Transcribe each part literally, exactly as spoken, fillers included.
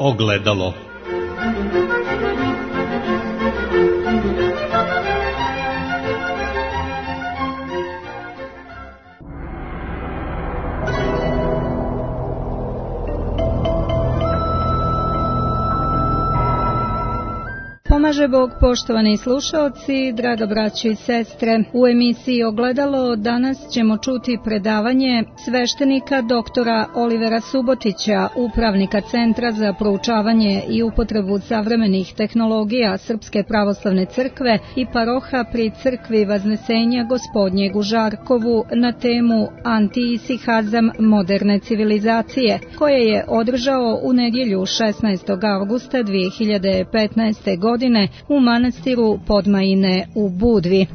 Ogledalo. Pomaže Bog, poštovani slušaoci, draga braćo i sestre. U emisiji Ogledalo danas ćemo čuti predavanje sveštenika doktora Olivera Subotića, upravnika Centra za proučavanje i upotrebu savremenih tehnologija Srpske pravoslavne crkve i paroha pri crkvi Vaznesenja Gospodnjeg u Žarkovu na temu Antiisihazam moderne civilizacije, koje je održao u nedjelju šesnaestog avgusta dvije hiljade petnaeste. godine u manastiru Podmajine u Budvi.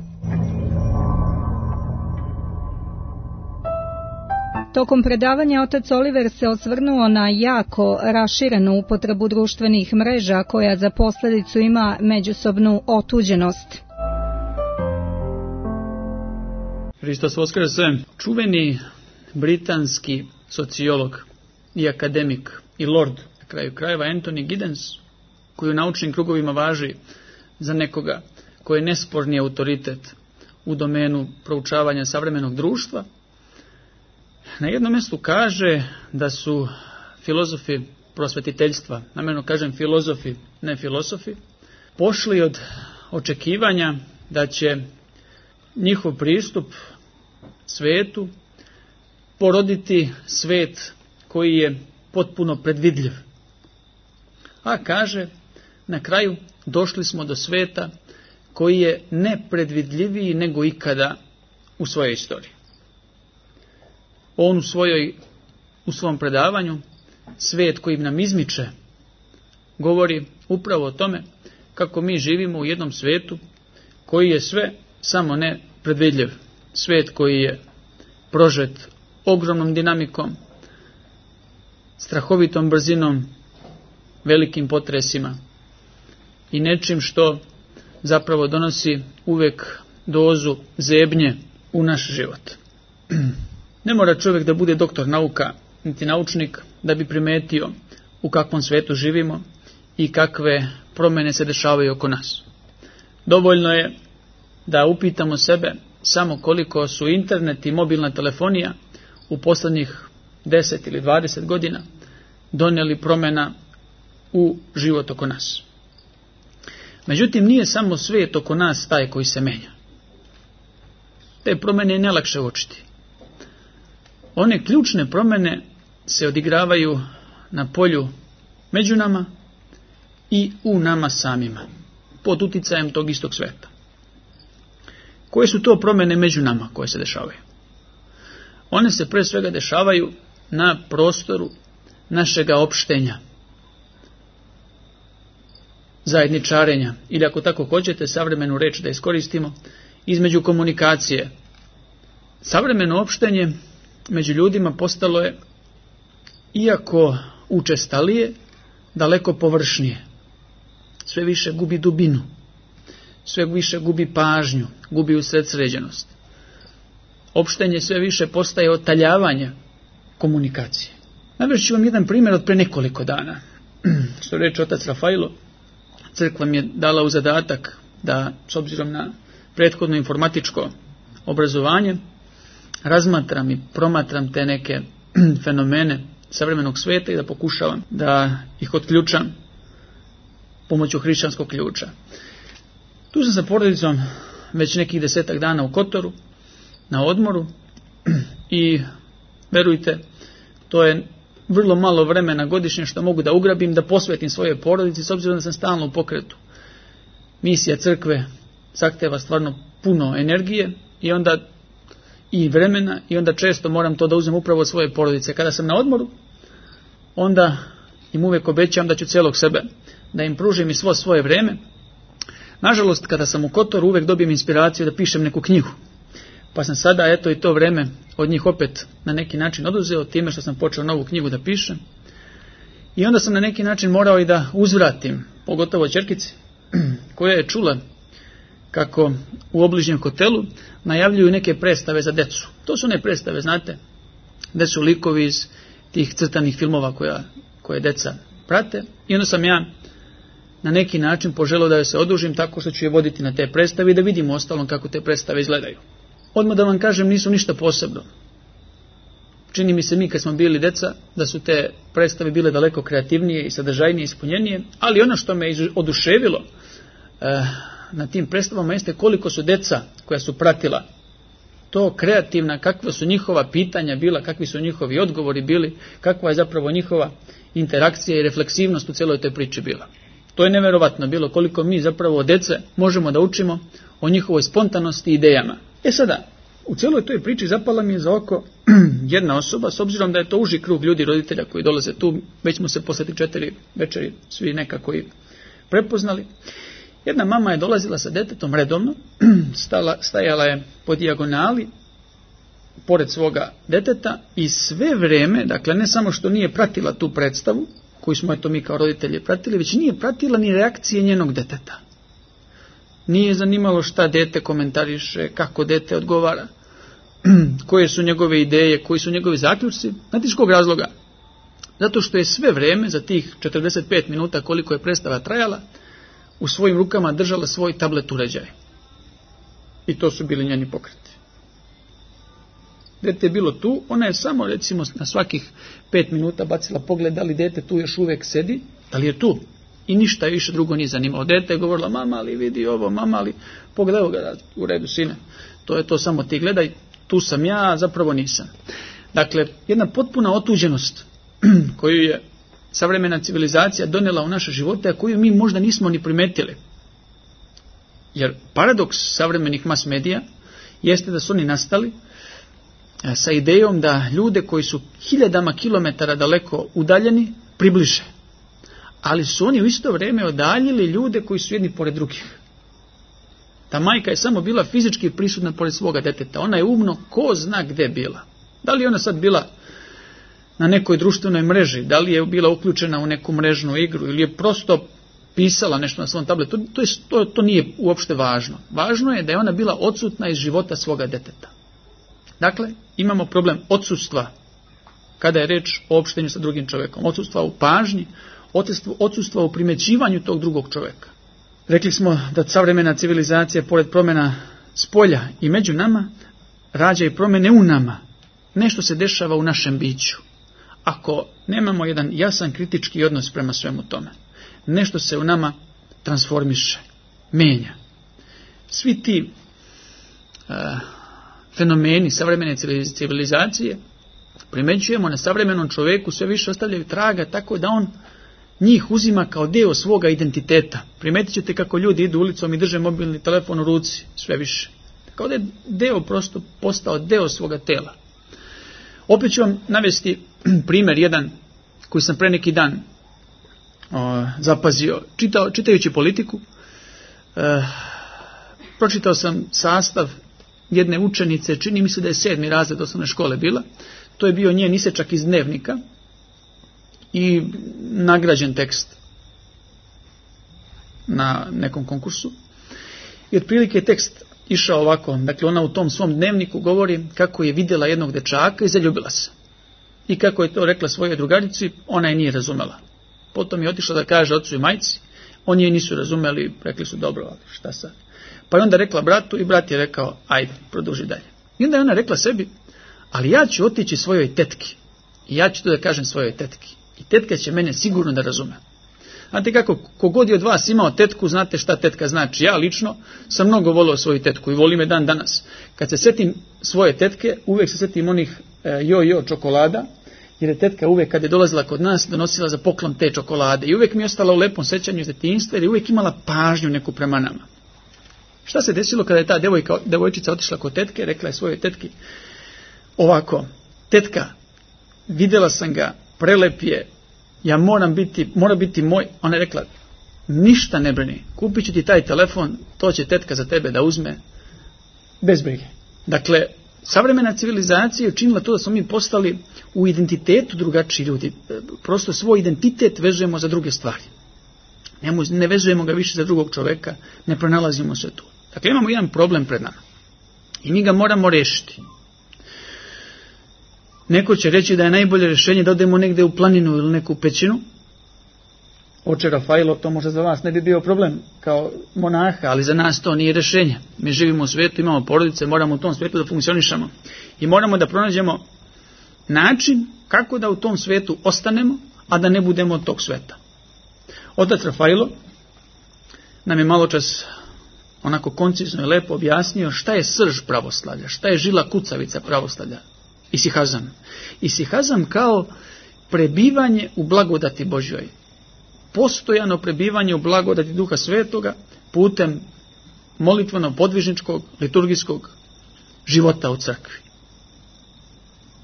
Tokom predavanja otac Oliver se osvrnuo na jako raširenu upotrebu društvenih mreža koja za posljedicu ima međusobnu otuđenost. Hristos Voskrese. Čuveni britanski sociolog i akademik i lord, na kraju krajeva, Anthony Giddens, koji u naučnim krugovima važi za nekoga koji je nesporni autoritet u domenu proučavanja savremenog društva, na jednom mjestu kaže da su filozofi prosvetiteljstva, namjerno kažem filozofi, ne filosofi, pošli od očekivanja da će njihov pristup svetu poroditi svet koji je potpuno predvidljiv. A kaže, na kraju došli smo do sveta koji je nepredvidljiviji nego ikada u svojoj istoriji. On u, svojoj, u svom predavanju, Svet koji nam izmiče, govori upravo o tome kako mi živimo u jednom svetu koji je sve samo ne predvidljiv. Svet koji je prožet ogromnom dinamikom, strahovitom brzinom, velikim potresima i nečim što zapravo donosi uvijek dozu zebnje u naš život. Ne mora čovjek da bude doktor nauka, niti naučnik, da bi primetio u kakvom svijetu živimo i kakve promjene se dešavaju oko nas. Dovoljno je da upitamo sebe samo koliko su internet i mobilna telefonija u posljednjih deset ili dvadeset godina donijeli promjena u život oko nas. Međutim, nije samo svijet oko nas taj koji se menja. Te promjene je nelakše uočiti. One ključne promjene se odigravaju na polju među nama i u nama samima, pod uticajem tog istog sveta. Koje su to promjene među nama koje se dešavaju? One se pre svega dešavaju na prostoru našega opštenja, zajedničarenja, ili ako tako hoćete, savremenu reč da iskoristimo, između komunikacije. Savremeno opštenje među ljudima postalo je, iako učestalije, daleko površnije. Sve više gubi dubinu, sve više gubi pažnju, gubi usredsređenost. Opštenje sve više postaje otaljavanje komunikacije. Navešću vam jedan primjer od pre nekoliko dana. Što reče otac Rafailo, crkva mi je dala u zadatak da, s obzirom na prethodno informatičko obrazovanje, razmatram i promatram te neke fenomene savremenog svijeta i da pokušavam da ih otključam pomoću hrišćanskog ključa. Tu sam sa porodicom već nekih desetak dana u Kotoru, na odmoru, i verujte, to je vrlo malo vremena godišnje što mogu da ugrabim, da posvetim svoje porodici, s obzirom da sam stalno u pokretu. Misija crkve zahteva stvarno puno energije i onda i vremena, i onda često moram to da uzmem upravo od svoje porodice. Kada sam na odmoru, onda im uvijek obećam da ću cijelog sebe da im pružim i svo svoje vrijeme. Nažalost, kada sam u Kotoru, uvijek dobijem inspiraciju da pišem neku knjigu. Pa sam sada, eto, i to vrijeme od njih opet na neki način oduzeo time što sam počeo novu knjigu da pišem. I onda sam na neki način morao i da uzvratim, pogotovo ćerkici, koja je čula kako u obližnjem hotelu najavljuju neke predstave za decu. To su ne predstave, znate, gdje su likovi iz tih crtanih filmova koja, koje deca prate i onda sam ja na neki način poželio da joj se odužim tako što ću je voditi na te predstave i da vidimo ostalom kako te predstave izgledaju. Odmah da vam kažem, nisu ništa posebno. Čini mi se mi kad smo bili deca da su te predstave bile daleko kreativnije i sadržajnije i ispunjenije, ali ono što me oduševilo eh, na tim predstavama jeste koliko su deca koja su pratila to kreativna, kakva su njihova pitanja bila, kakvi su njihovi odgovori bili, kakva je zapravo njihova interakcija i refleksivnost u cijeloj toj priči bila. To je neverovatno bilo koliko mi zapravo od dece možemo da učimo o njihovoj spontanosti i idejama. E sada, u cijeloj toj priči zapala mi je za oko jedna osoba, s obzirom da je to uži krug ljudi, roditelja koji dolaze tu, već smo se posle četiri večeri svi nekako i prepoznali. Jedna mama je dolazila sa detetom redovno, stala, stajala je po dijagonali, pored svoga deteta i sve vreme, dakle ne samo što nije pratila tu predstavu, koju smo eto mi kao roditelji pratili, već nije pratila ni reakcije njenog deteta. Nije zanimalo šta dete komentariše, kako dete odgovara, koje su njegove ideje, koji su njegovi zaključci. Znate iz kog razloga? Zato što je sve vreme, za tih četrdeset pet minuta koliko je predstava trajala, u svojim rukama držala svoj tablet uređaj. I to su bili njeni pokreti. Dete je bilo tu, ona je samo recimo na svakih pet minuta bacila pogled da li dete tu još uvijek sedi, da li je tu. I ništa više drugo nije zanimalo. Dete je govorila, mama ali vidi ovo, mama ali pogledaj ga, u redu sine. To je to, samo ti gledaj, tu sam ja, zapravo nisam. Dakle, jedna potpuna otuđenost koju je savremena civilizacija donijela u naše živote, a koju mi možda nismo ni primetili. Jer paradoks savremenih mas medija jeste da su oni nastali sa idejom da ljude koji su hiljadama kilometara daleko udaljeni približe. Ali su oni u isto vrijeme odaljili ljude koji su jedni pored drugih. Ta majka je samo bila fizički prisutna pored svoga deteta. Ona je umno ko zna gdje bila. Da li je ona sad bila na nekoj društvenoj mreži, da li je bila uključena u neku mrežnu igru ili je prosto pisala nešto na svom tabletu, to, je, to, to nije uopšte važno. Važno je da je ona bila odsutna iz života svoga deteta. Dakle, imamo problem odsustva kada je reč o opštenju sa drugim čovjekom. Odsustva u pažnji, odsustva u primećivanju tog drugog čovjeka. Rekli smo da savremena civilizacija, pored promjena spolja i među nama, rađa i promjene u nama. Nešto se dešava u našem biću. Ako nemamo jedan jasan kritički odnos prema svemu tome, nešto se u nama transformiše, menja. Svi ti uh, fenomeni savremene civilizacije primećujemo na savremenom čovjeku, sve više ostavljaju traga, tako da on njih uzima kao dio svoga identiteta. Primetit ćete kako ljudi idu ulicom i drže mobilni telefon u ruci, sve više. Kao da je deo prosto postao deo svoga tela. Opet ću vam navesti primjer jedan koji sam pre neki dan o, zapazio. Čitao, čitajući politiku, e, pročitao sam sastav jedne učenice, čini mi se da je sedmi razred osnovne škole bila. To je bio njen isečak iz dnevnika i nagrađen tekst na nekom konkursu. I otprilike tekst išao ovako, dakle ona u tom svom dnevniku govori kako je vidjela jednog dečaka i zaljubila se. I kako je to rekla svojoj drugarici, ona je nije razumela. Potom je otišla da kaže ocu i majci, oni je nisu razumeli, rekli su dobro, ali šta sad? Pa je onda rekla bratu i brat je rekao, ajde, produži dalje. I onda je ona rekla sebi, ali ja ću otići svojoj tetki i ja ću to da kažem svojoj tetki. I tetka će mene sigurno da razume. Znate kako, kogod je od vas imao tetku, znate šta tetka znači. Ja lično sam mnogo volio svoju tetku i volim je dan danas. Kad se setim svoje tetke, uvijek se setim onih jo-jo čokolada, jer je tetka uvijek kad je dolazila kod nas donosila za poklon te čokolade. I uvijek mi je ostala u lepom sećanju iz detinjstva jer je uvijek imala pažnju neku prema nama. Šta se desilo kada je ta devojka, devojčica otišla kod tetke, rekla je svojoj tetki ovako, tetka, vidjela sam ga, prelep je, ja moram biti, mora biti moj. Ona je rekla, ništa ne brini, kupit ću ti taj telefon, to će tetka za tebe da uzme, bez brige. Dakle, savremena civilizacija je učinila to da smo mi postali u identitetu drugačiji ljudi. Prosto svoj identitet vežemo za druge stvari. Ne, ne vežemo ga više za drugog čovjeka, ne pronalazimo se tu. Dakle, imamo jedan problem pred nama i mi ga moramo rešiti. Neko će reći da je najbolje rješenje da odemo negdje u planinu ili neku pećinu Oče Rafailo, to možda za vas ne bi bio problem kao monaha, ali za nas to nije rješenje. Mi živimo u svijetu, imamo porodice, moramo u tom svijetu da funkcionišemo i moramo da pronađemo način kako da u tom svijetu ostanemo, a da ne budemo od tog svijeta. Otac Rafailo nam je malo čas onako koncizno i lepo objasnio šta je srž pravoslavlja, šta je žila kucavica pravoslavlja, isihazam. Isihazam kao prebivanje u blagodati Božjoj. Postojano prebivanje u blagodati Duha Svetoga putem molitveno-podvižničkog, liturgijskog života u crkvi.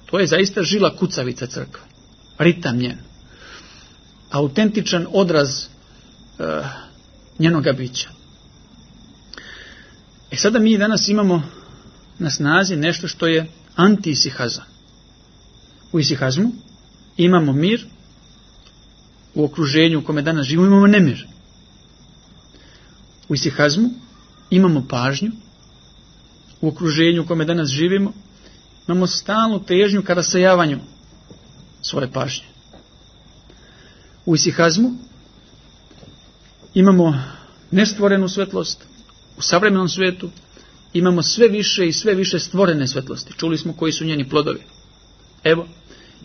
To je zaista žila kucavica crkve, ritam njen, autentičan odraz uh, njenoga bića. E sada mi danas imamo na snazi nešto što je anti-isihazam. U isihazmu imamo mir, u okruženju u kome danas živimo imamo nemir. U isihazmu imamo pažnju, u okruženju u kome danas živimo imamo stalnu težnju ka rasejavanju svoje pažnje. U isihazmu imamo nestvorenu svetlost, u savremenom svijetu imamo sve više i sve više stvorene svetlosti. Čuli smo koji su njeni plodovi. Evo,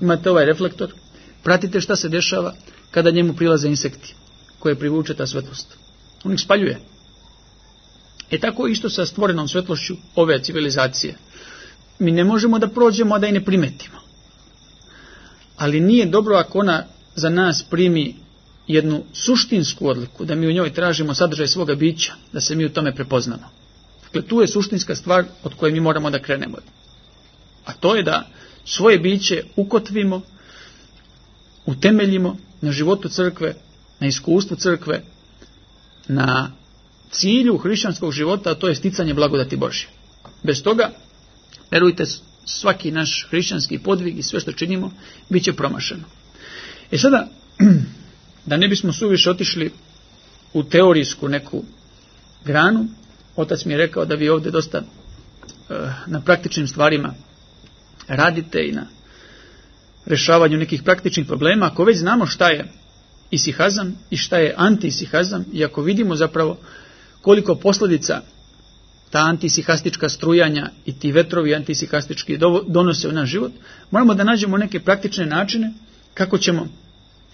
imate ovaj reflektor, pratite šta se dešava kada njemu prilaze insekti koje privuče ta svetlost. On ih spaljuje. E tako isto sa stvorenom svetlošću ove civilizacije. Mi ne možemo da prođemo, a da i ne primetimo. Ali nije dobro ako ona za nas primi jednu suštinsku odliku, da mi u njoj tražimo sadržaj svoga bića, da se mi u tome prepoznamo. Dakle, tu je suštinska stvar od koje mi moramo da krenemo. A to je da svoje biće ukotvimo, utemeljimo na životu crkve, na iskustvu crkve, na cilju hrišćanskog života, a to je sticanje blagodati Božje. Bez toga, verujte, svaki naš hrišćanski podvig i sve što činimo, bit će promašeno. E sada, da ne bismo suviše otišli u teorijsku neku granu, otac mi je rekao da vi ovdje dosta uh, na praktičnim stvarima radite i na rješavanju nekih praktičnih problema. Ako već znamo šta je isihazam i šta je anti-isihazam, i ako vidimo zapravo koliko posljedica ta antisihastička strujanja i ti vetrovi antisihastički donose u naš život, moramo da nađemo neke praktične načine kako ćemo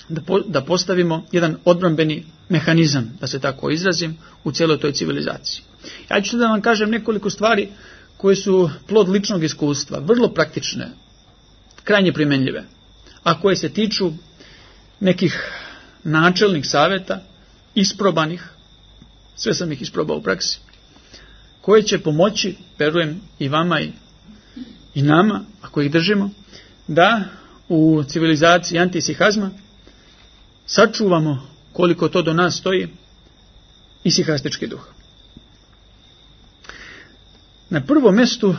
da, po, da postavimo jedan odbrambeni mehanizam, da se tako izrazim, u cijeloj toj civilizaciji. Ja ću da vam kažem nekoliko stvari koje su plod ličnog iskustva, vrlo praktične, krajnje primjenljive, a koje se tiču nekih načelnih savjeta, isprobanih, sve sam ih isprobao u praksi, koje će pomoći, verujem, i vama i, i nama, ako ih držimo, da u civilizaciji antisihazma sačuvamo, koliko to do nas stoji, isihastički duh. Na prvom mjestu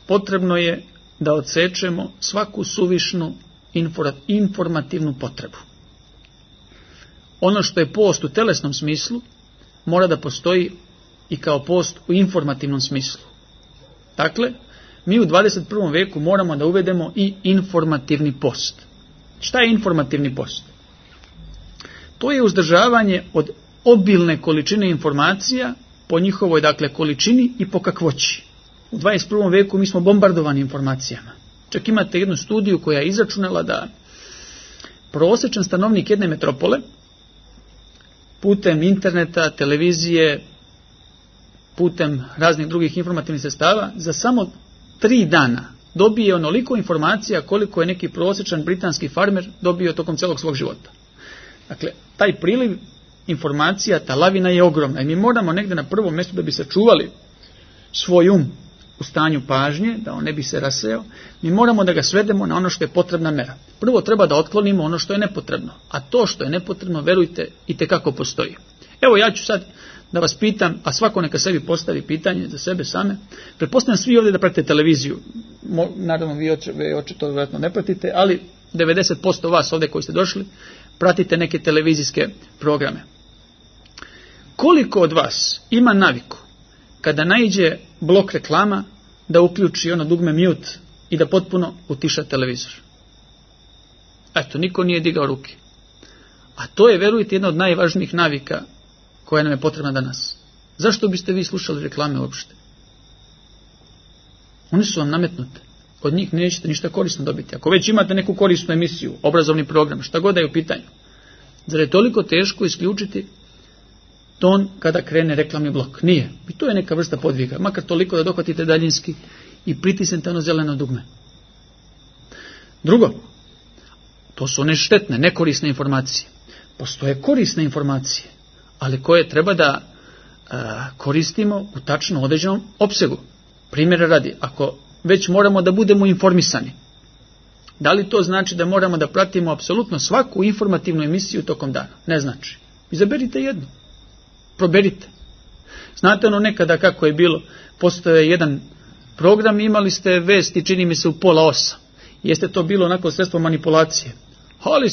potrebno je da odsečemo svaku suvišnu informativnu potrebu. Ono što je post u telesnom smislu mora da postoji i kao post u informativnom smislu. Dakle, mi u dvadeset prvom veku moramo da uvedemo i informativni post. Šta je informativni post? To je uzdržavanje od obilne količine informacija po njihovoj, dakle, količini i po kakvoći. U dvadeset prvom veku mi smo bombardovani informacijama. Čak imate jednu studiju koja je izračunala da prosječan stanovnik jedne metropole putem interneta, televizije, putem raznih drugih informativnih sredstava za samo tri dana dobije onoliko informacija koliko je neki prosječan britanski farmer dobio tokom celog svog života. Dakle, taj priliv informacija, ta lavina je ogromna i mi moramo negdje na prvom mjestu da bi sačuvali svoj um u stanju pažnje, da on ne bi se rasejao, mi moramo da ga svedemo na ono što je potrebna mera. Prvo treba da otklonimo ono što je nepotrebno, a to što je nepotrebno, verujte, i tekako postoji. Evo ja ću sad da vas pitam, a svako neka sebi postavi pitanje za sebe same. Pretpostavljam svi ovdje da pratite televiziju. Mo, naravno vi očito vjerojatno ne pratite, ali devedeset posto vas ovdje koji ste došli pratite neke televizijske programe. Koliko od vas ima naviku kada naiđe blok reklama da uključi ono dugme mute i da potpuno utiša televizor? Eto, niko nije digao ruke. A to je, verujte, jedna od najvažnijih navika koja nam je potrebna danas. Zašto biste vi slušali reklame uopšte? One su vam nametnute. Od njih nećete ništa korisno dobiti. Ako već imate neku korisnu emisiju, obrazovni program, šta god da je u pitanju, zar je toliko teško isključiti ton kada krene reklamni blok? Nije. I to je neka vrsta podviga. Makar toliko da dohvatite daljinski i pritisnete ono zeleno dugme. Drugo, to su one štetne, nekorisne informacije. Postoje korisne informacije, ali koje treba da a, koristimo u tačno određenom opsegu. Primjera radi, ako već moramo da budemo informisani, da li to znači da moramo da pratimo apsolutno svaku informativnu emisiju tokom dana? Ne znači. Izaberite jednu. Proberite. Znate ono nekada kako je bilo, postoje jedan program, imali ste vesti, čini mi se, u pola osam. Jeste to bilo onako sredstvo manipulacije. Ali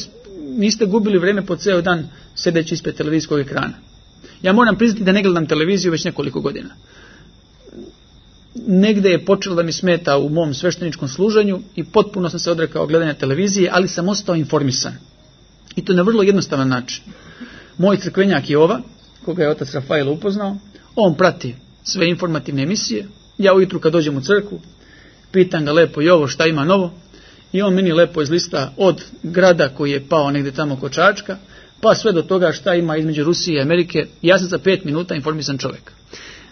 niste gubili vreme po ceo dan sedeći ispred televizijskog ekrana. Ja moram priznati da ne gledam televiziju već nekoliko godina. Negde je počelo da mi smeta u mom svešteničkom služenju i potpuno sam se odrekao gledanja televizije, ali sam ostao informisan. I to na vrlo jednostavan način. Moj crkvenjak Jova, koga je otac Rafael upoznao, on prati sve informativne emisije. Ja ujutru kad dođem u crkvu, pitam ga lepo, Jovo, šta ima novo? I on meni lepo izlista od grada koji je pao negde tamo kod Čačka, pa sve do toga šta ima između Rusije i Amerike. Ja sam za pet minuta informisan čovjek.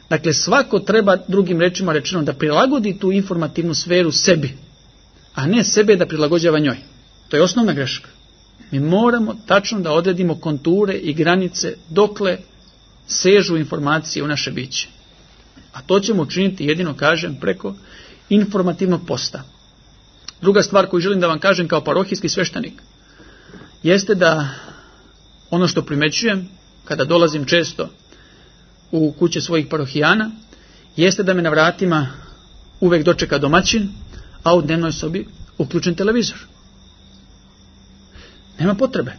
Dakle, svako treba, drugim rečima rečeno, da prilagodi tu informativnu sferu sebi, a ne sebe da prilagođava njoj. To je osnovna greška. Mi moramo tačno da odredimo konture i granice dokle sežu informacije u naše biće. A to ćemo učiniti jedino, kažem, preko informativnog posta. Druga stvar koju želim da vam kažem kao parohijski sveštenik jeste da ono što primećujem kada dolazim često u kuće svojih parohijana jeste da me na vratima uvek dočeka domaćin, a u dnevnoj sobi uključen televizor. Nema potrebe.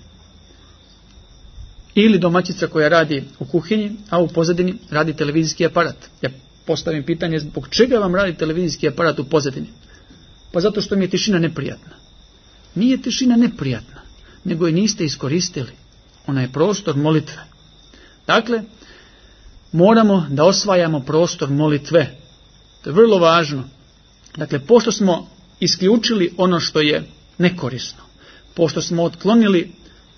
Ili domaćica koja radi u kuhinji, a u pozadini radi televizijski aparat. Ja postavim pitanje, zbog čega vam radi televizijski aparat u pozadini? Pa zato što mi je tišina neprijatna. Nije tišina neprijatna, nego je niste iskoristili. Ona je prostor molitve. Dakle, moramo da osvajamo prostor molitve. To je vrlo važno. Dakle, pošto smo isključili ono što je nekorisno, pošto smo otklonili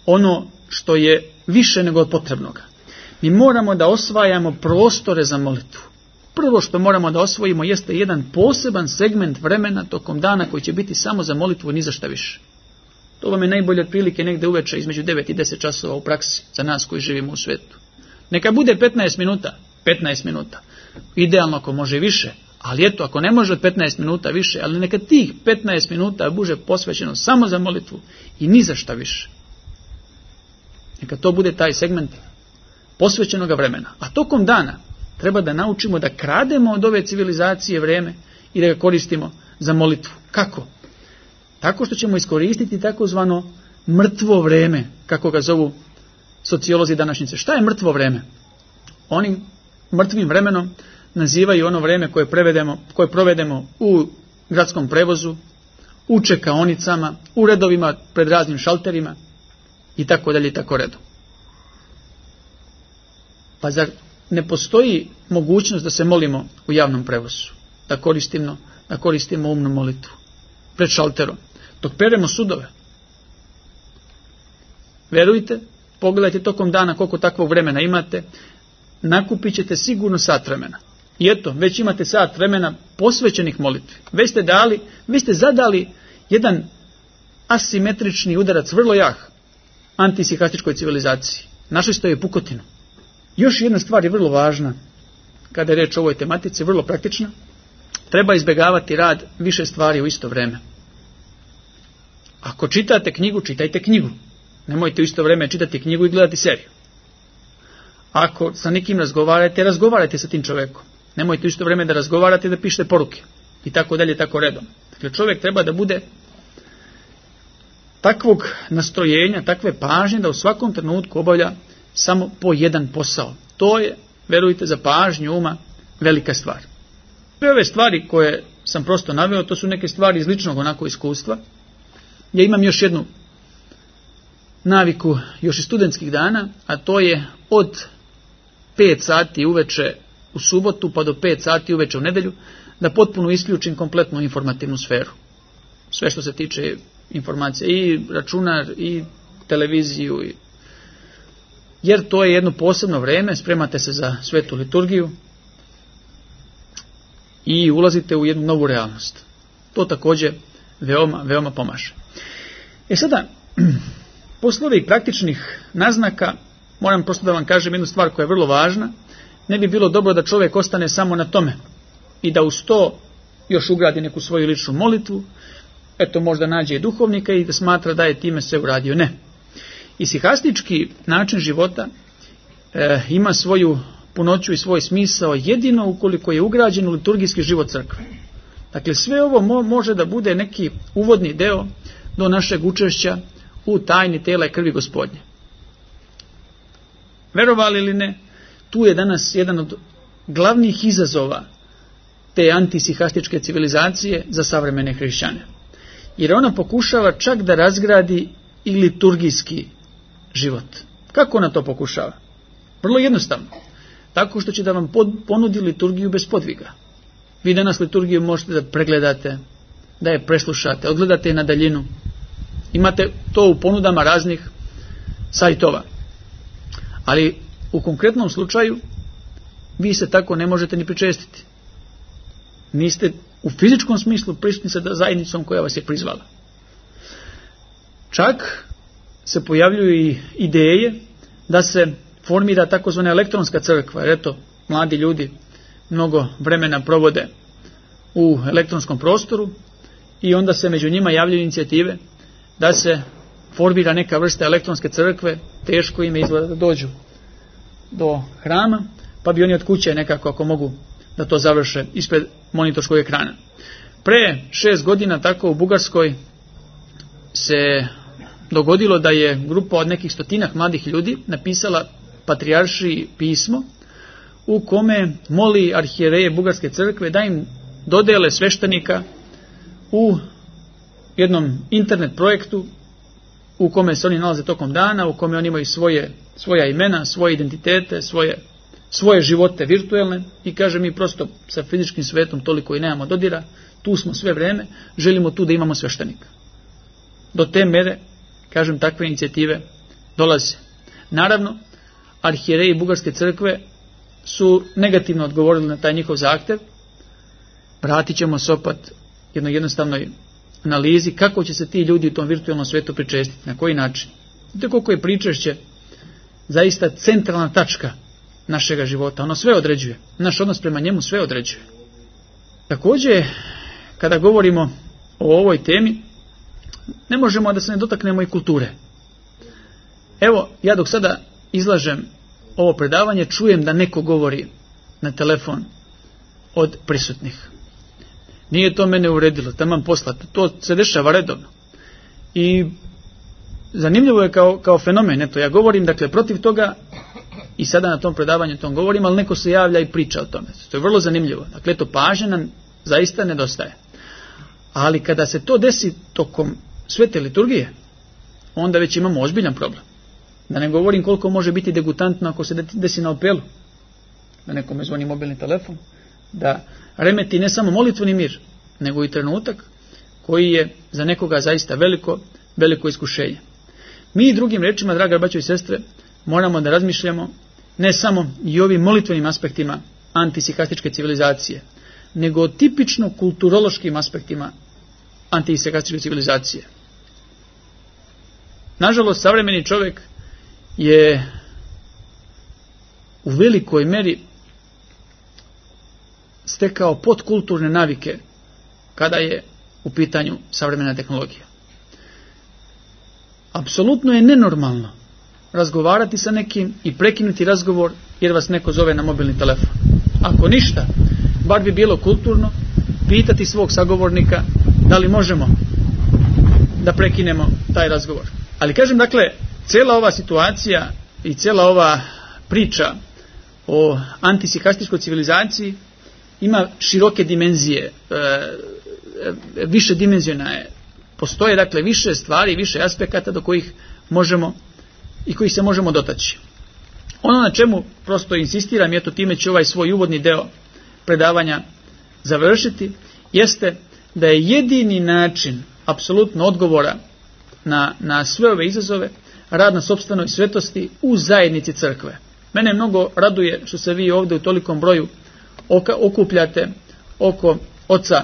ono što je više nego od potrebnoga, mi moramo da osvajamo prostore za molitvu. Prvo što moramo da osvojimo jeste jedan poseban segment vremena tokom dana koji će biti samo za molitvu i ni za šta više. To vam je najbolje otprilike negde uveče između devet i deset časova u praksi za nas koji živimo u svetu. Neka bude petnaest minuta, petnaest minuta. Idealno ako može više, ali eto, ako ne može od petnaest minuta više, ali neka tih petnaest minuta bude posvećeno samo za molitvu i ni za šta više. Neka to bude taj segment posvećenog vremena. A tokom dana treba da naučimo da krademo od ove civilizacije vreme i da ga koristimo za molitvu. Kako? Tako što ćemo iskoristiti takozvano mrtvo vreme, kako ga zovu sociolozi današnjice. Šta je mrtvo vreme? Oni mrtvim vremenom nazivaju ono vreme koje, prevedemo, koje provedemo u gradskom prevozu, u čekaonicama, u redovima pred raznim šalterima i tako dalje i tako redu. Pa zar ne postoji mogućnost da se molimo u javnom prevozu, da koristimo, da koristimo umnu molitvu pred šalterom, dok peremo sudove? Verujte, pogledajte tokom dana koliko takvog vremena imate, nakupit ćete sigurno sat vremena. I eto, već imate sat vremena posvećenih molitvi. Već ste dali, vi ste zadali jedan asimetrični udarac, vrlo jak, antisihastičkoj civilizaciji. Našli ste joj pukotinu. Još jedna stvar je vrlo važna, kada je reč o ovoj tematici, vrlo praktična. Treba izbjegavati rad više stvari u isto vreme. Ako čitate knjigu, čitajte knjigu. Nemojte u isto vreme čitati knjigu i gledati seriju. Ako sa nekim razgovarate, razgovarajte sa tim čovjekom. Nemojte u isto vreme da razgovarate i da pišete poruke. I tako dalje, tako redom. Dakle, čovjek treba da bude takvog nastrojenja, takve pažnje da u svakom trenutku obavlja samo po jedan posao. To je, verujte, za pažnju uma velika stvar. Sve ove stvari koje sam prosto naveo, to su neke stvari iz ličnog onako iskustva. Ja imam još jednu naviku još iz studentskih dana, a to je od pet sati uveče u subotu pa do pet sati uveče u nedelju, da potpuno isključim kompletnu informativnu sferu. Sve što se tiče informacija, i računar, i televiziju, i... jer to je jedno posebno vreme, spremate se za svetu liturgiju i ulazite u jednu novu realnost. To također veoma, veoma pomaže. E sada, posle ovih praktičnih naznaka, moram prosto da vam kažem jednu stvar koja je vrlo važna. Ne bi bilo dobro da čovjek ostane samo na tome i da uz to još ugradi neku svoju ličnu molitvu, eto možda nađe i duhovnika i da smatra da je time sve uradio. Ne. Isihastički način života e, ima svoju punoću i svoj smisao jedino ukoliko je ugrađen u liturgijski život crkve. Dakle, sve ovo mo, može da bude neki uvodni deo do našeg učešća u tajni tela i krvi Gospodnje. Verovali ili ne, tu je danas jedan od glavnih izazova te antisihastičke civilizacije za savremene hrišćane. Jer ona pokušava čak da razgradi i liturgijski život. Kako ona to pokušava? Vrlo jednostavno. Tako što će da vam ponudi liturgiju bez podviga. Vi danas liturgiju možete da pregledate, da je preslušate, odgledate je na daljinu. Imate to u ponudama raznih sajtova. Ali u konkretnom slučaju vi se tako ne možete ni pričestiti. Niste u fizičkom smislu prisutni sa zajednicom koja vas je prizvala. Čak se pojavljuju i ideje da se formira takozvana elektronska crkva, jer eto, mladi ljudi mnogo vremena provode u elektronskom prostoru i onda se među njima javljaju inicijative da se formira neka vrsta elektronske crkve, teško im je izgleda da dođu do hrama, pa bi oni od kuće nekako, ako mogu, da to završe ispred monitorskog ekrana. Pre šest godina tako u Bugarskoj se dogodilo da je grupa od nekih stotinak mladih ljudi napisala patrijaršiji pismo u kome moli arhijereje Bugarske crkve da im dodele sveštenika u jednom internet projektu u kome se oni nalaze tokom dana, u kome oni imaju svoje, svoja imena, svoje identitete, svoje, svoje živote virtuelne i kaže mi prosto sa fizičkim svetom toliko i nemamo dodira, tu smo sve vreme, želimo tu da imamo sveštenika. Do te mere, kažem, takve inicijative dolaze. Naravno, arhijereji Bugarske crkve su negativno odgovorili na taj njihov zahtev. Vratit ćemo se opet jednoj jednostavnoj analizi kako će se ti ljudi u tom virtualnom svetu pričestiti, na koji način. Vidite koliko je pričešće zaista centralna tačka našega života. Ono sve određuje. Naš odnos prema njemu sve određuje. Također, kada govorimo o ovoj temi, ne možemo da se ne dotaknemo i kulture. Evo, ja dok sada izlažem ovo predavanje, čujem da neko govori na telefon od prisutnih. Nije to mene uredilo, taman poslato. To se dešava redovno. I zanimljivo je kao, kao fenomen. Eto, ja govorim, dakle, protiv toga i sada na tom predavanju tom govorim, ali neko se javlja i priča o tome. To je vrlo zanimljivo. Dakle, to pažnja nam zaista nedostaje. Ali kada se to desi tokom svete liturgije, onda već imamo ozbiljan problem. Da ne govorim koliko može biti degutantno ako se desi na apelu. Da nekome zvoni mobilni telefon, da remeti ne samo molitveni mir, nego i trenutak koji je za nekoga zaista veliko, veliko iskušenje. Mi drugim rečima, draga braćo i sestre, moramo da razmišljamo ne samo i ovim molitvenim aspektima antisihastičke civilizacije, nego o tipično kulturološkim aspektima antisihastičke civilizacije. Nažalost, savremeni čovjek je u velikoj meri stekao podkulturne navike kada je u pitanju savremena tehnologija. Apsolutno je nenormalno razgovarati sa nekim i prekinuti razgovor jer vas neko zove na mobilni telefon. Ako ništa, bar bi bilo kulturno pitati svog sagovornika da li možemo da prekinemo taj razgovor. Ali kažem, dakle, cijela ova situacija i cijela ova priča o antisihastičkoj civilizaciji ima široke dimenzije, e, više dimenzijona je. Postoje, dakle, više stvari, više aspekata do kojih možemo i kojih se možemo dotaći. Ono na čemu prosto insistiram, i eto time ću ovaj svoj uvodni deo predavanja završiti, jeste da je jedini način apsolutno odgovora na, na sve ove izazove rad na sopstvenoj svetosti u zajednici crkve. Mene mnogo raduje što se vi ovdje u tolikom broju oka, okupljate oko oca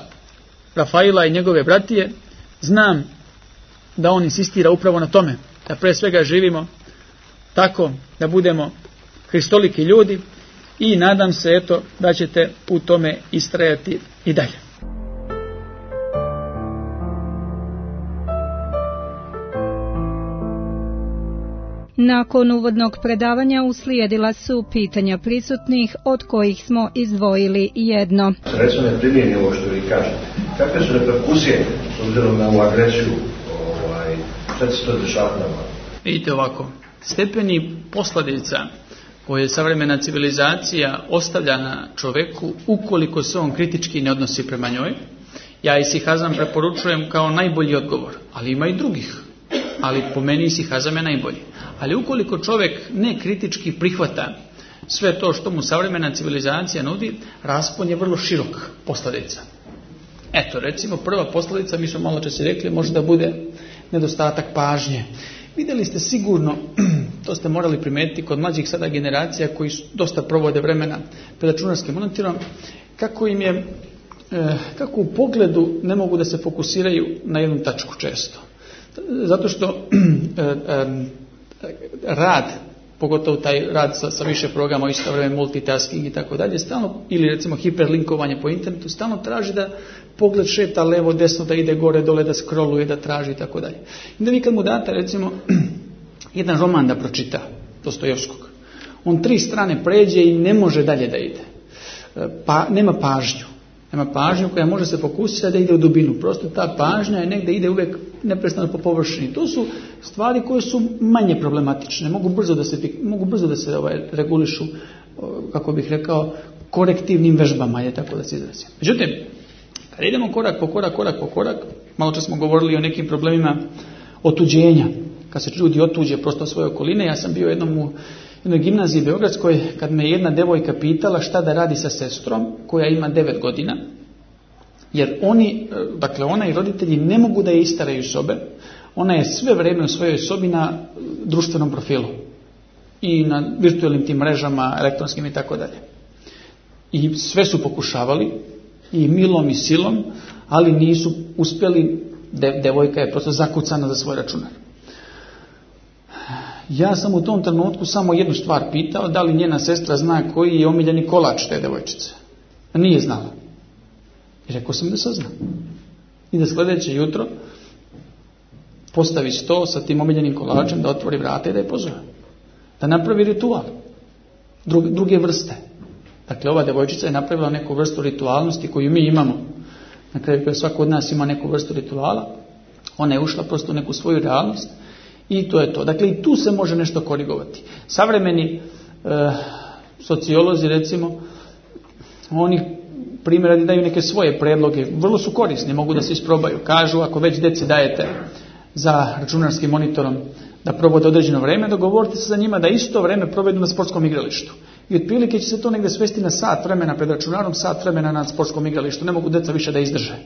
Rafaila i njegove bratije. Znam da on insistira upravo na tome, da pre svega živimo tako da budemo hristoliki ljudi i nadam se eto da ćete u tome istrajati i dalje. Nakon uvodnog predavanja uslijedila su pitanja prisutnih, od kojih smo izdvojili jedno. Recimo ne primijeni ovo što vi kažete. Kakve su reperkusije s obzirom na ovu agresiju? Ovaj, šta se to dešava? Vidite ovako, stepeni posljedica koje savremena civilizacija ostavlja na čoveku ukoliko se on kritički ne odnosi prema njoj, ja isihazam preporučujem kao najbolji odgovor, ali ima i drugih. Ali po meni isihazam je najbolji. Ali ukoliko čovjek ne kritički prihvata sve to što mu savremena civilizacija nudi, raspon je vrlo širok posljedica. Eto, recimo prva posljedica, mi smo malo čas rekli, može da bude nedostatak pažnje. Vidjeli ste sigurno, to ste morali primijetiti kod mlađih sada generacija koji dosta provode vremena pred računarskim monitorom, kako im je, kako u pogledu ne mogu da se fokusiraju na jednu tačku često. Zato što rad, pogotovo taj rad sa, sa više programa, isto vreme multitasking i tako dalje, stalno, ili recimo hiperlinkovanje po internetu, stalno traži da pogled šeta levo, desno, da ide gore, dole, da scrolluje, da traži i tako dalje. I da vi kad mu date recimo jedan roman da pročita, Dostojevskog, on tri strane pređe i ne može dalje da ide. Pa, nema pažnju. Nema pažnju koja može se fokusirati da ide u dubinu. Prosto ta pažnja je negdje ide uvijek neprestano po površini. To su stvari koje su manje problematične. Mogu brzo da se, mogu brzo da se ovaj, regulišu, kako bih rekao, korektivnim vežbama, je tako da se izrazim. Međutim, kad idemo korak po korak, korak po korak, malo čas smo govorili o nekim problemima otuđenja. Kad se ljudi otuđe prosto svoje okoline, ja sam bio jednom u jednoj gimnaziji beogradskoj, kad me jedna devojka pitala šta da radi sa sestrom koja ima devet godina, jer oni, dakle ona i roditelji ne mogu da je istaraju sobe, ona je sve vrijeme u svojoj sobi na društvenom profilu i na virtualnim tim mrežama, elektronskim i tako dalje. I sve su pokušavali, i milom i silom, ali nisu uspjeli, de, devojka je prosto zakucana za svoj računar. Ja sam u tom trenutku samo jednu stvar pitao, da li njena sestra zna koji je omiljeni kolač te devojčice. Nije znala. I rekao sam da sazna. I da sljedeće jutro postavi sto sa tim omiljenim kolačem, da otvori vrata i da je pozove. Da napravi ritual. Druge, druge vrste. Dakle, ova devojčica je napravila neku vrstu ritualnosti koju mi imamo. Na kraju koja svako od nas ima neku vrstu rituala. Ona je ušla prosto u neku svoju realnost. I to je to. Dakle, i tu se može nešto korigovati. Savremeni e, sociolozi, recimo, oni primjer daju neke svoje predloge. Vrlo su korisni, mogu da se isprobaju. Kažu, ako već deci dajete za računarskim monitorom da provode određeno vrijeme, dogovorite se za njima da isto vrijeme provedu na sportskom igralištu. I otprilike će se to negdje svesti na sat vremena pred računarom, sat vremena na sportskom igralištu. Ne mogu deca više da izdrže.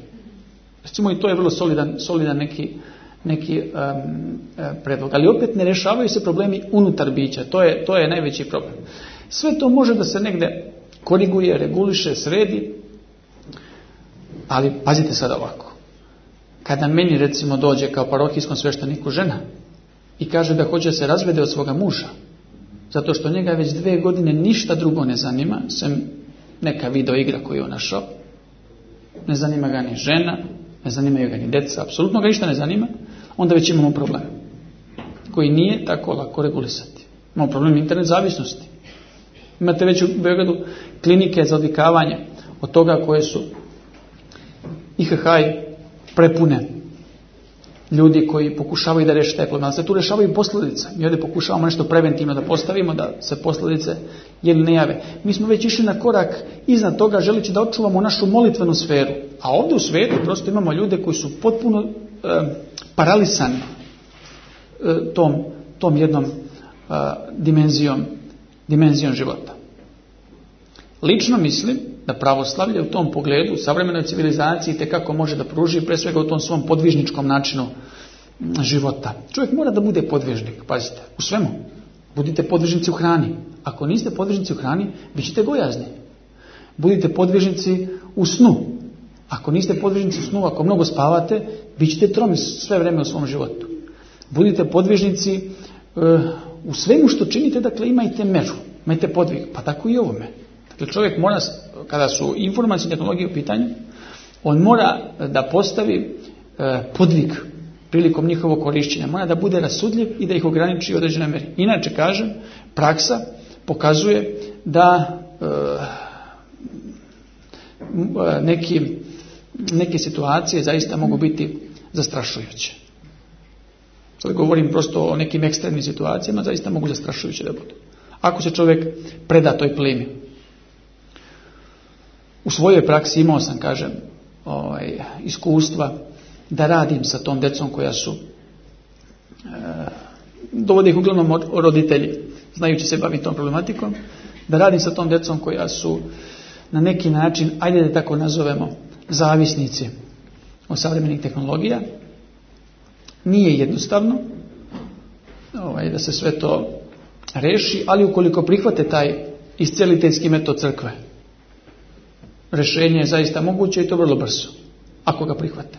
Recimo, i to je vrlo solidan, solidan neki neki um, predlog. Ali opet ne rješavaju se problemi unutar bića. To je, to je najveći problem. Sve to može da se negdje koriguje, reguliše, sredi, ali pazite sad ovako. Kada meni recimo dođe kao parohijskom svešteniku žena i kaže da hoće se razvede od svoga muža, zato što njega već dve godine ništa drugo ne zanima, sem neka video igra koju je on našao, ne zanima ga ni žena, ne zanimaju ga ni djeca, apsolutno ga ništa ne zanima, onda već imamo problem koji nije tako lako regulisati. Imamo problem internet zavisnosti. Imate već u Beogradu klinike za odvikavanje od toga koje su I H H prepune ljudi koji pokušavaju da reše taj problem. Ali se tu rešavaju posljedice. Mi ovdje pokušavamo nešto preventivno da postavimo, da se posljedice jel ne jave. Mi smo već išli na korak iznad toga, želeći da očuvamo našu molitvenu sferu. A ovdje u svijetu prosto imamo ljude koji su potpuno e, paralisani. tom, tom jednom a, dimenzijom, dimenzijom života. Lično mislim da pravoslavlje u tom pogledu u savremenoj civilizaciji tekako može da pruži, pre svega u tom svom podvižničkom načinu života. Čovjek mora da bude podvižnik, pazite, u svemu. Budite podvižnici u hrani. Ako niste podvižnici u hrani, bit ćete gojazni. Budite podvižnici u snu. Ako niste podvižnici u snu, ako mnogo spavate, bit ćete tromi sve vreme u svom životu. Budite podvižnici uh, u svemu što činite, dakle imajte meru, imajte podvig, pa tako i ovome. Dakle, čovjek mora, kada su informacije i tehnologije u pitanju, on mora da postavi uh, podvig prilikom njihovog korišćenja, mora da bude rasudljiv i da ih ograniči u određenoj meri. Inače, kažem, praksa pokazuje da uh, neki, neke situacije zaista mogu biti zastrašujuće. Sad govorim prosto o nekim ekstremnim situacijama, zaista mogu zastrašujuće da budu. Ako se čovjek preda toj plimi. U svojoj praksi imao sam, kažem, ovaj, iskustva da radim sa tom decom koja su, e, dovode ih uglavnom roditelji, znajući se baviti tom problematikom, da radim sa tom decom koja su na neki način, ajde da tako nazovemo, zavisnici od savremenih tehnologija. Nije jednostavno ovaj, da se sve to reši, ali ukoliko prihvate taj isceliteljski metod crkve, rješenje je zaista moguće i to vrlo brzo, ako ga prihvate.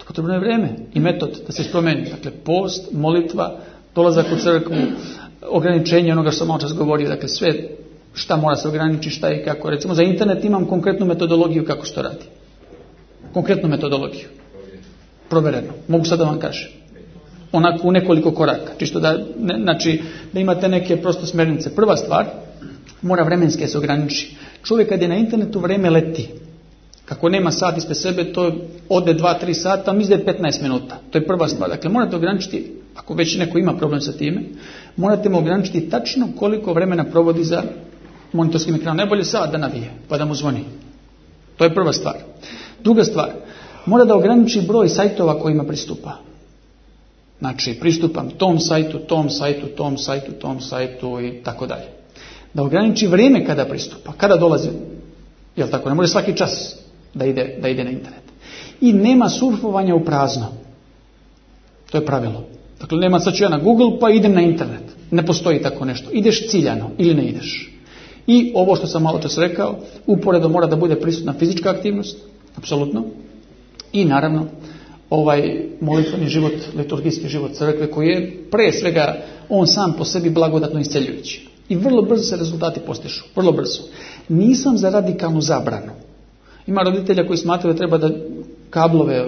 Potrebno je vrijeme i metod da se promeni. Dakle, post, molitva, dolazak u crkvu, ograničenje onoga što sam malo čas govorio, dakle sve šta mora se ograničiti, šta i kako. Recimo za internet imam konkretnu metodologiju kako se to radi. Konkretnu metodologiju. Provereno. Mogu sad da vam kažem. Onako u nekoliko koraka. Čisto da, ne, znači, da imate neke prosto smjernice. Prva stvar, mora vremenske se ograniči. Čovjek kad je na internetu vrijeme leti. Kako nema sat ispred sebe, to ode dva tri sata, mi izde petnaest minuta. To je prva stvar. Dakle, morate ograničiti, ako već neko ima problem sa time, morate mu ograničiti tačno koliko vremena provodi za monitorskim ekranom. Najbolje sat da navije, pa da mu zvoni. To je prva stvar. Druga stvar, mora da ograniči broj sajtova kojima pristupa. Znači, pristupam tom sajtu, tom sajtu, tom sajtu, tom sajtu i tako dalje. Da ograniči vrijeme kada pristupa, kada dolazi, jel tako, ne može svaki čas da ide, da ide na internet. I nema surfovanja u prazno. To je pravilo. Dakle, nema sad ću ja na Google pa idem na internet. Ne postoji tako nešto. Ideš ciljano ili ne ideš. I ovo što sam malo čas rekao, uporedo mora da bude prisutna fizička aktivnost, apsolutno. I naravno, ovaj molitveni život, liturgijski život crkve, koji je pre svega on sam po sebi blagodatno isceljujući. I vrlo brzo se rezultati postižu. Vrlo brzo. Nisam za radikalnu zabranu. Ima roditelja koji smatraju da treba da kablove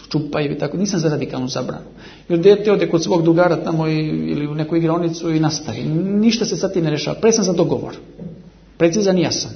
čupaju i tako. Nisam za radikalnu zabranu. Jer dete ode kod svog drugara tamo i, ili u neku igraonicu i nastaje. Ništa se sad tim ne rešava. Pre sam za dogovor. Precizan i jasan.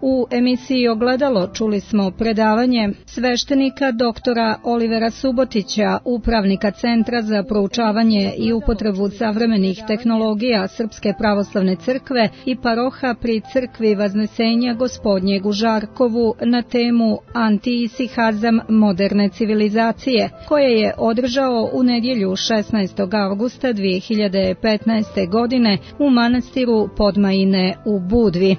U emisiji Ogledalo čuli smo predavanje sveštenika doktora Olivera Subotića, upravnika Centra za proučavanje i upotrebu savremenih tehnologija Srpske pravoslavne crkve i paroha pri crkvi Vaznesenja Gospodnjeg u Žarkovu na temu Antiisihazam moderne civilizacije, koje je održao u nedjelju šesnaestog avgusta dvije hiljade petnaeste godine u manastiru Podmajine u Budvi.